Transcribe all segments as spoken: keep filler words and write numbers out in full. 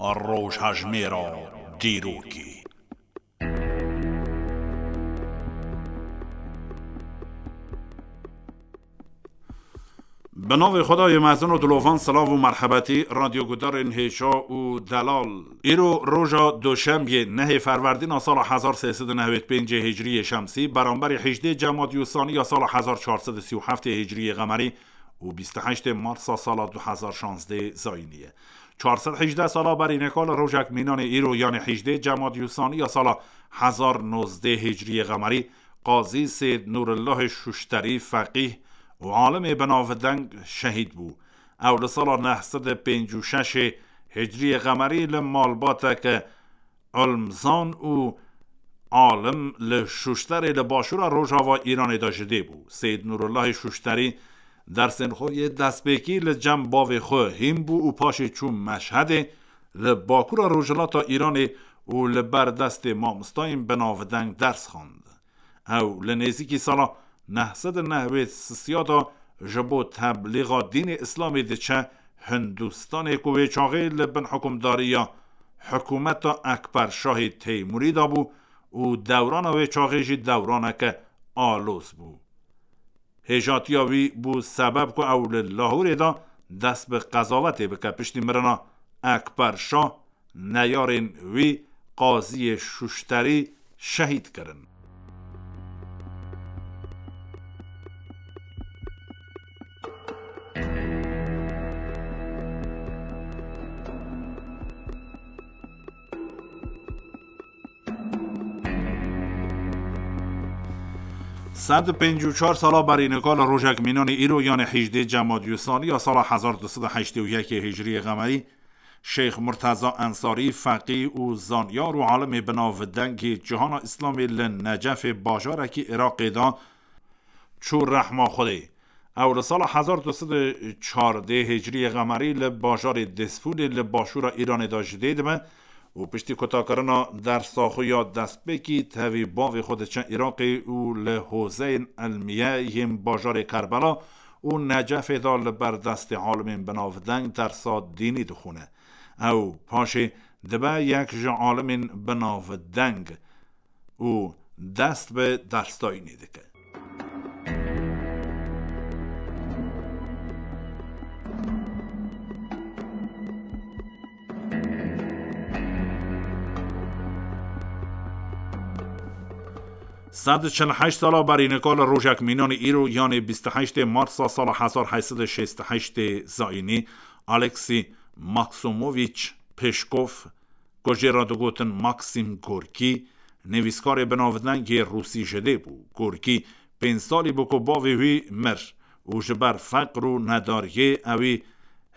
Rojhejmêra dîrokê. Bi navê Xwedayê mezin û dilovan, silav û merhebetî, radyogudarên hêşa û delal. Îro roja Doşembiyê, nehê Ferwerdîna sala hezar sê sed û newêd pêncê Hicriyê Şemsî, beramberî hejdê Cemadî Usaniya sala hezar çar sed û sî û heftê Hicriyê Qemerî û bîst û heştê Marsa sala du hezar şazdeh Zayînî ye. Çar sed hejdeh sala berî nika li rojek mînanê îro, yanê hejdê Cemadî Usaniya sala hezar nozdeh Hicriyê Qemerî, Qazî Seyd Nûrillahê Şuşterî, feqîh û alimê binavdeng şehîd bû. Ew li sala neh sed û pêncî û şeş Hicriyê Qemerî li malbateke ilmzan û alim li Şuşterê li başûra rojava Îranê de ji dê bû. Seyd Nûrillahê Şuşterî dersên xwe yê destpêkî li cem bavê xwe hîn bû û paşê çû Meşhedê, li bakûra rojhilata Îranê û li ber destê mamostayên binavdeng ders xwend. Ew li nêzîkî sala neh sed û newêd sisiya de ji bo teblîxa dînê Îslamê diçe Hindistanê, ku wê çaxê li bin hikûmdariya hikûmeta Ekber Şahê Teymûrî de bû û dewrana wê çaxê jî dewraneke aloz bû. Hêjatiya wî bû sebeb ku ew li Lahûrê de dest bi qezavetê bike. Piştî mirina Ekber Şah, neyarên wî Qaziyê Şuşterî şehîd kirin. Sed û pêncî û çar sala berî nika li rojek mînanê îro, yanê hejdê Cemadî Usaniya sala hezar du sed û heştê û yekê Hicriyê Qemerî, Şêx Murteza Ensarî, feqî û zanyar û alimê binavdengê cihana Îslamê, li Necefê, bajarekî Iraqê de çû rehma Xwedê. Ew li sala hezar du sed û çardeh Hicriyê Qemerî li bajarê Dêsfûlê li başûra Îranê de ji dê dibe û piştî kutakirina dersa xwe ya destpêkî tevî bavê xwe diçe Iraqê û li hozeyên ilmîye yên bajarê Kerbela û Necefê de li ber destê alimên binavdeng dersa dînî dixwîne. Ew paşê dibe yek ji alimên binavdeng û dest bi dersdayînê dike. Sed û çil û heşt sala berî nika li rojek mînanê îro, yanê bîst û heştê Marsa sala hezar heşt sed û şêst û heştê Zayînî, Aleksî Maksumoviç Peşkov, ku jê re digotin Maksim Gorkî, nivîskarê binavdengê Rûsî ji dê bû. Gorkî pênc salî bû ku bavê wî mir û ji ber feqr û nedariyê ewî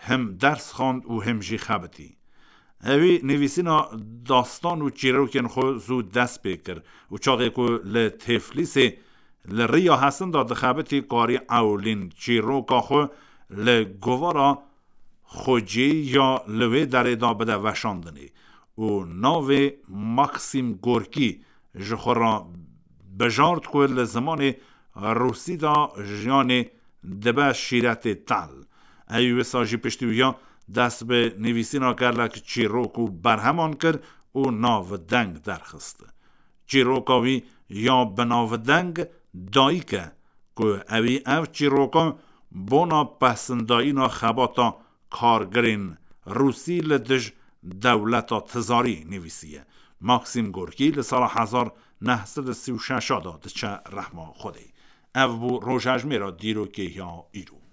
him ders xwend û him jî xebitî. Ewî nivîsîna dastan û çîrokên xwe zû dest pê kir û çaxê ku li Teflîsê li riya Hesin de dixebitî, karî ewlîn çîroka xwe li govara xwecî ya li wê derê de bide veşandinê û navê Maksim Gorkî ji xwe re bijart ku li zimanê Rûsî de jiyanê dibe şîretê tel. Ewî wisa jî piştî wiya dest bi nivîsîna gelek çîrok û berheman kir û navdeng derxist. Çîroka wî ya binavdeng Dayik e, ku ewî ev çîroka bona pesindayîna xebata kargirên Rûsî li dij dewleta tizarî nivîsiye. Maksim Gorkî li sala hezar neh sed û sî û şeş de diçe rehma Xwedê. Ev bû rojhejmêra dîrokê ya îro.